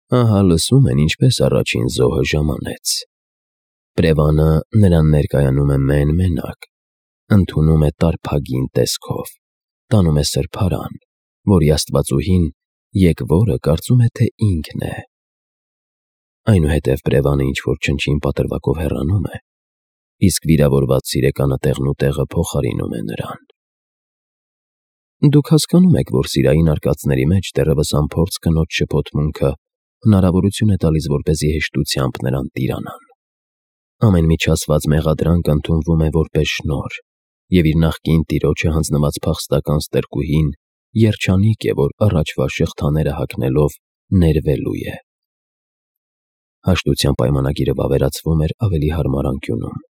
Ահա լսում են ինչպես առաջին զոհը ժամանեց։ Պրևանը նրան ներկայանում է մեն-մենակ, ընդունում է տարփագին տեսքով, տանում է սրբարան, որի աստվածուհին եկվորը կարծում է, թե ինքն է։ Այնուհետև Պրևանը ինչ-որ չնչին պատրվակով հեռանում է, իսկ վիրավորված սիրեկանը տեղնուտեղը փոխարինում է նրան։ Դուք հասկանում եք, որ սիրային արկածների մեջ դեռևս անփորձ կնոջ շփոթմունքը հնարավորություն է տալիս, որպեսզի հեշտությամբ նրան տիրանան։ Ամեն միջացված մեղադրանք ընդունվում է որպես շնորհ, և իր նախկին տիրոջը հանձնված փախստական ստրկուհին երջանիկ է, որ առաջվա շղթաները հագնելով ներվելու է։ Հաշտության պայմանագիրը վավերացվում էր ավելի հարմար անկյունում,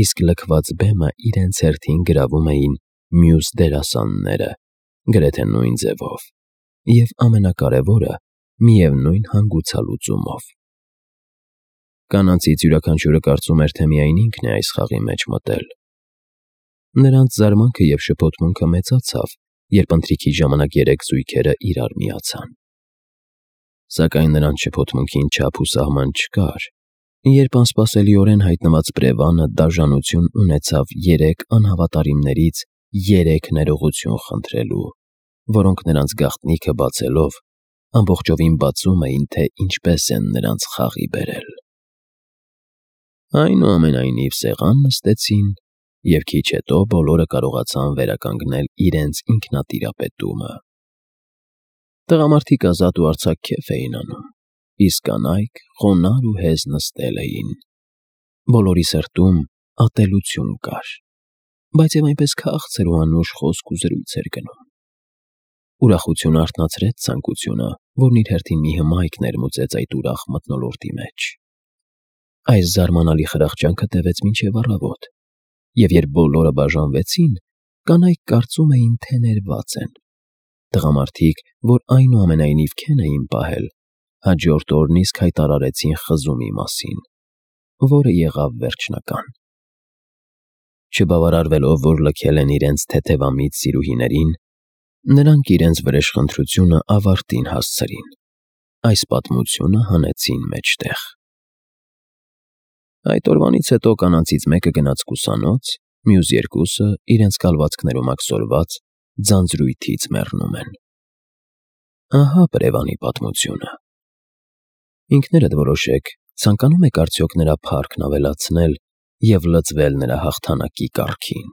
իսկ լքված բեմը իրենց հերթին գրավում էին մյուս դերասանները, գրեթե նույն ձևով, և ամենակարևորը՝ միևնույն հանգուցալուծումով։ Կանանցից յուրաքանչյուրը կարծում էր, թե միայն ինքն է այս խաղի մեջ մտել։ Նրանց զարմանքը և շփոթմունքը մեծացավ, երբ ընթրիքի ժամանակ երեք զույգերը իրար միացան։ Սակայն նրանց շփոթմունքին չափ ու սահման չկար, երբ անսպասելիորեն հայտնված Պրևանը դաժանություն ունեցավ երեք անհավատարիմներից երեք ներողություն խնդրելու, որոնք նրանց գաղտնիքը բացելով ամբողջովին բացում էին, թե ինչպես են նրանց խաղի բերել։ Այնուամենայնիվ սեղան նստեցին, և քիչ հետո բոլորը կարողացան վերականգնել իրենց ինքնատիրապետումը։ Տղամարդիկ ազատ ու արձակ քեֆ էին անում, իսկ կանայք խոնարհ ու հեզ նստել էին։ Բոլորի սրտում ատելություն կար, բայց և այնպես քաղցր ու անուշ խոսք ու զրույց էր գնում։ Ուրախությունը արթնացրեց ցանկությունը, որն իր հերթին մի հմայք ներմուծեց այդ ուրախ մթնոլորտի մեջ։ Այս զարմանալի խրախճանքը տևեց մինչև առավոտ, և երբ բոլորը բաժանվեցին, կանայք կարծում էին, թե ներված են։ Տղամարդիկ, որ այնուամենայնիվ քեն էին պահել, հաջորդ օրն իսկ հայտարարեցին խզումի մասին, որը եղավ վերջնական։ Չբավարարվելով, որ լքել են իրենց թեթևամիտ սիրուհիներին, նրանք իրենց վրեժխնդրությունը ավարտին հասցրին, այս պատմությունը հանեցին մեջտեղ։ Այդ օրվանից հետո կանանցից մեկը գնաց կուսանոց, մյուս երկուսը, իրենց կալվածքներում աքսորված, ձանձրույթից մեռնում են։ Ահա Պրևանի պատմությունը։ Ինքներդ որոշեք, ցանկանում եք արդյոք նրա փառքն ավելացնել և լծվել նրա հաղթանակի կառքին։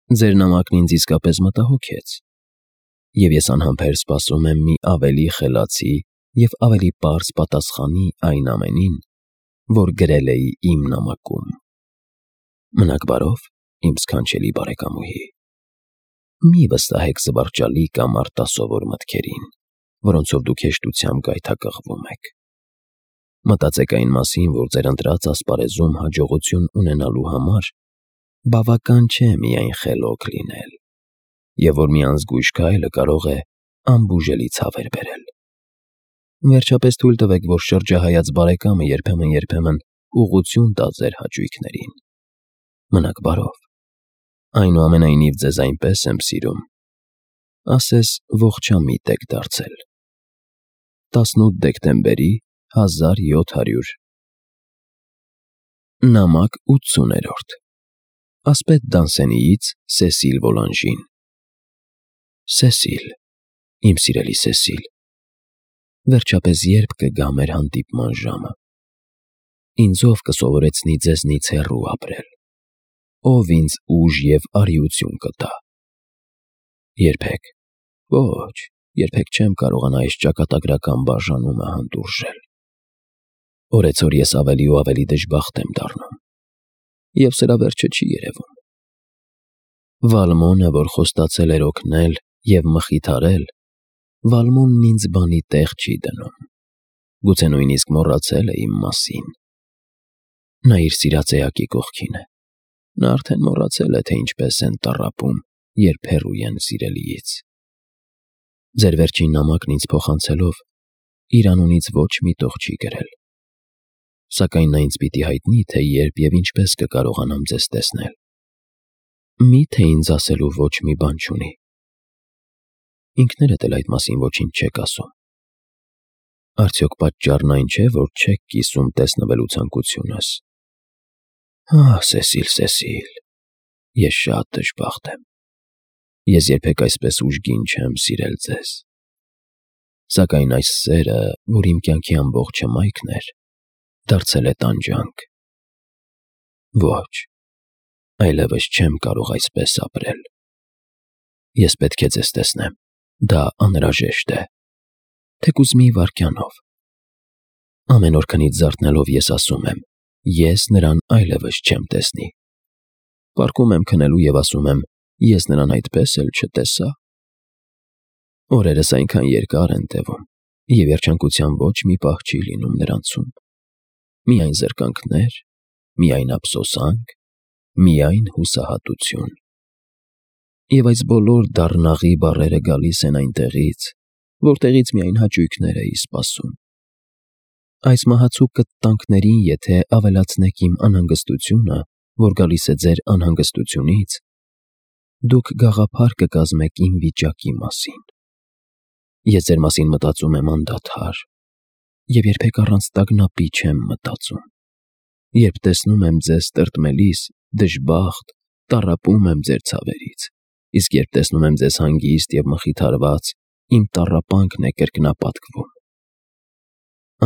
Ձեր նամակն ինձ իսկապես մտահոգեց, և ես անհամբեր սպասում եմ մի ավելի խելացի և ավելի պարզ պատասխանի այն ամենին, որ գրել էի իմ նամակում։ Մնաք բարով, իմ սքանչելի բարեկամուհի։ Մի վստահեք զվարճալի կամ արտասովոր մտքերին, որոնցով դուք հեշտությամբ գայթակղվում եք։ Մտածեք այն մասին, որ ձեր ընտրած ասպարեզում հաջողություն ունենալու համար բավական չէ միայն խելոք լինել, և որ մի անզգույշ քայլը կարող է անբուժելի ցավեր բերել։ Վերջապես թույլ տվեք, որ շրջահայաց բարեկամը երբեմն ուղղություն տա ձեր հաճույքներին։ Մնաք բարով։ Այնուամենայնիվ ձեզ այնպես եմ սիրում, ասես ողջամիտ եք դարձել։ 18 դեկտեմբերի 1700 Նամակ 80-րդ Ասպետ Դանսենիից Սեսիլ Վոլանժին։ Սեսիլ, իմ սիրելի Սեսիլ, վերջապես երբ կգա մեր հանդիպման ժամը։ Ինձ ով կսովորեցնի ձեզնից հեռու ապրել, ով ինձ ուժ և արիություն կտա։ Երբեք, ոչ, երբեք չեմ կարողանա այս ճակատագրական բաժանումը հանդուրժել։ Օրեցօր ես ավելի ու ավելի դժբախտ եմ դառնում, և սրա վերջը չի երևում։ Վալմոնը, որ խոստացել էր օգնել և մխիթարել, Վալմոնն ինձ բանի տեղ չի դնում, գուցե նույնիսկ մոռացել է իմ մասին։ Նա իր սիրած էակի կողքին է, նա արդեն մոռացել է, թե ինչպես են տառապում, երբ հեռու են սիրելիից։ Ձեր վերջին նամակն ինձ փոխանցելով, իր անունից ոչ մի տող չի գրել, սակայն նա ինձ պիտի հայտնի, թե երբ և ինչպես կկարողանամ ձեզ տեսնել։ Մի՞թե ինձ ասելու ոչ մի բան չունի։ Ինքներդ էլ այդ մասին ոչինչ չեք ասում։ Արդյոք պատճառն այն չէ, որ չեք կիսում տեսնվելու ցանկությունս։ Սեսիլ, Սեսիլ, ես շատ դժբախտ եմ։ Ես երբեք այսպես ուժգին չեմ սիրել ձեզ։ Սակայն այս սերը, որ իմ կյանքի ամբողջ հմայքն էր, դարձել է տանջանք։ Ոչ, այլևս չեմ կարող այսպես ապրել։ Ես պետք է ձեզ տեսնեմ, դա անհրաժեշտ է, թեկուզ մի վայրկյանով։ Ամեն օր քնից զարթնելով ես ասում եմ, ես նրան այլևս չեմ տեսնի։ Պառկում եմ քնելու և ասում եմ, ես նրան այդպես էլ չտեսա։ Օրերս այնքան երկար են տևում, և երջանկության ոչ մի պահ չի լինում նրանցում։ Միայն զրկանքներ, միայն ափսոսանք, միայն հուսահատություն։ Եվ այս բոլոր դառնաղի բառերը գալիս են այնտեղից, որտեղից միայն հաճույքներ էի սպասում։ Այս մահացու կտտանքներին եթե ավելացնեք իմ անհանգստությունը, որ գալիս է ձեր անհանգստությունից, դուք գաղափար կկազմեք իմ վիճակի մասին։ Ես ձեր մասին մտածում եմ անդադար, և երբեք առանց տագնապի չեմ մտածում։ Երբ տեսնում եմ ձեզ տրտմելիս, դժբախտ, տառապում եմ ձեր ցավերից, իսկ երբ տեսնում եմ ձեզ հանգիստ և մխիթարված, իմ տառապանքն է կրկնապատկվում։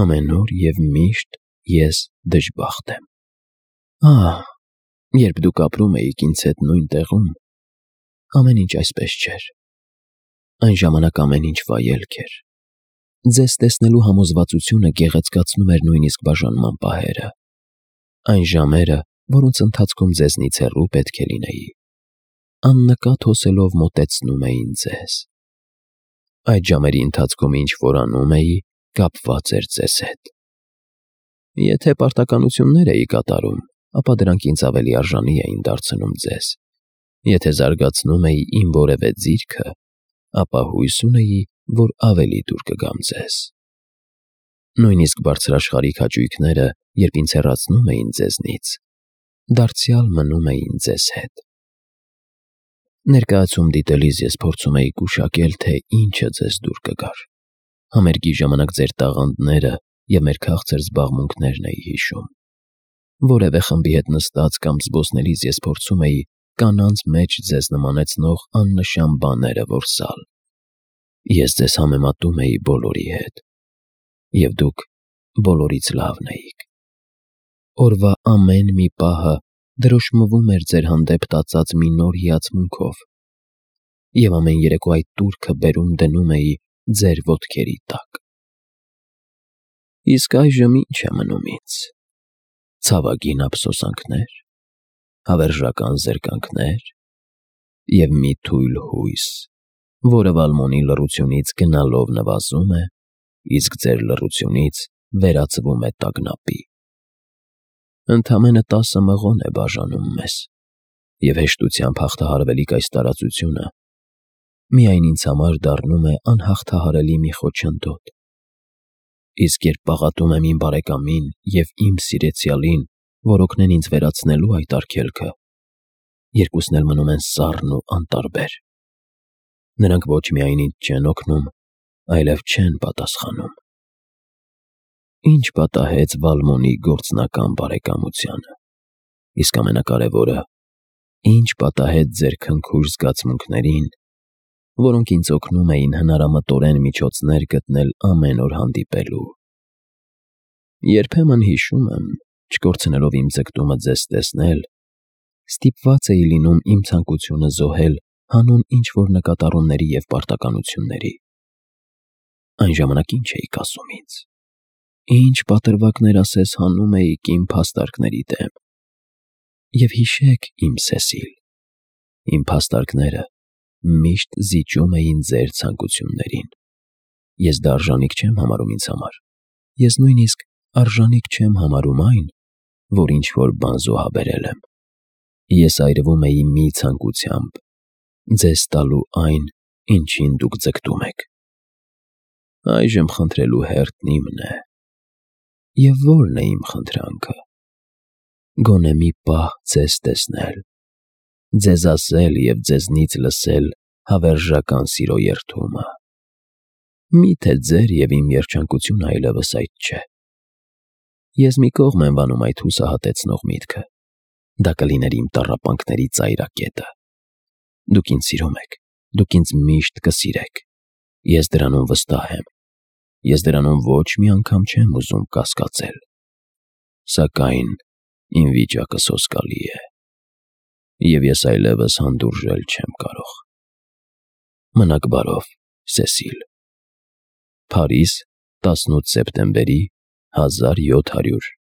Ամեն օր և միշտ ես դժբախտ եմ։ Երբ դուք ապրում էիք ինձ հետ նույն տեղում, ամեն ինչ այսպես չէր։ Այն ժամանակ ամեն ինչ վայելք էր։ Ձեզ տեսնելու համոզվածությունը գեղեցկացնում էր նույնիսկ բաժանման պահերը։ Այն ժամերը, որոնց ընթացքում ձեզնից հեռու պետք է լինեի, աննկատ հոսելով մոտեցնում էին ձեզ։ Այդ ժամերի ընթացքում ինչ որ անում էի, կապված էր ձեզ հետ։ Եթե պարտականություններ էի կատարում, ապա դրանք ինձ ավելի արժանի էին դարձնում ձեզ։ Եթե զարգացնում էի իմ որևէ ձիրքը, ապա հույս ունեի, որ ավելի դուր կգամ ձեզ։ Նույնիսկ բարձրաշխարհիկ հաճույքները, երբ ինձ հեռացնում էին ձեզնից, դարձյալ մնում էին ձեզ հետ։ Ներկայացում դիտելիս ես փորձում էի գուշակել, թե ինչը ձեզ դուր կգար։ Համերգի ժամանակ ձեր տաղանդները և մեր քաղցր զբաղմունքներն էի հիշում։ Որևէ խմբի հետ նստած կամ զբոսնելիս ես փորձում էի կանանց մեջ ձեզ նմանեցնող աննշան բաները որսալ։ Ես ձեզ համեմատում էի բոլորի հետ, և դուք բոլորից լավն էիք։ Օրվա ամեն մի պահը դրոշմվում էր ձեր հանդեպ տածած մի նոր հիացմունքով, և ամեն երեկո այդ տուրքը բերում դնում էի ձեր ոտքերի տակ։ Իսկ այժմ ինչ է մնում ինձ։ Ցավագին ափսոսանքներ, հավերժական զրկանքներ և մի թույլ հույս, որը Վալմոնի լռությունից գնալով նվազում է, իսկ ձեր լռությունից վերածվում է տագնապի։ Ընդամենը 10 մղոն է բաժանում մեզ, և հեշտությամբ հաղթահարվելիք այս տարածությունը միայն ինձ համար դառնում է անհաղթահարելի մի խոչընդոտ։ Իսկ երբ պաղատում եմ իմ բարեկամին և իմ սիրեցյալին, որ օգնեն ինձ վերացնելու այդ արգելքը, երկուսն էլ մնում են սառն ու անտարբեր։ Նրանք ոչ միայն ինձ չեն օգնում, այլև չեն պատասխանում։ Ինչ պատահեց Վալմոնի գործնական բարեկամությանը, իսկ ամենակարևորը, ինչ պատահեց ձեր քնքուշ զգացմունքներին, որոնք ինձ օգնում էին հնարամտորեն միջոցներ գտնել ամեն օր հանդիպելու։ Երբեմն հիշում եմ, չկորցնելով իմ ձգտումը ձեզ տեսնել, ստիպված էի լինում իմ ցանկությունը զոհել հանուն ինչ-որ նկատառումների և պարտականությունների։ Այն ժամանակ ինչ էիք ասում ինձ։ Ինչ պատրվակներ ասես հանում էիք իմ փաստարկների դեմ։ Եվ հիշեք, իմ Սեսիլ, իմ փաստարկները միշտ զիջում էին ձեր ցանկություններին։ Ես դա արժանիք չեմ համարում ինձ համար։ Ես նույնիսկ արժանիք չեմ համարում այն, որ ինչ-որ բան զոհաբերել եմ։ Ես այրվում էի մի ցանկությամբ՝ ձեզ տալու այն, ինչին դուք ձգտում եք։ Այժմ խնդրելու հերթն իմն է։ Եվ ո՞րն է իմ խնդրանքը։ Գոնե մի պահ ձեզ տեսնել, ձեզ ասել և ձեզնից լսել հավերժական սիրո երդումը։ Միթե ձեր և իմ երջանկությունը այլևս այդ չէ։ Ես մի կողմ եմ վանում այդ հուսահատեցնող միտքը։ Դա կլիներ իմ տառապանքների ծայրակետը։ Դուք ինձ սիրում եք, դուք ինձ միշտ կսիրեք։ Ես դրանում վստահ եմ։ Ես դրանում ոչ մի անգամ չեմ ուզում կասկածել։ Սակայն իմ վիճակը սոսկալի է, և ես այլևս հանդուրժել չեմ կարող։ Մնաք բարով, Սեսիլ։ Փարիզ, 18 սեպտեմբերի 1700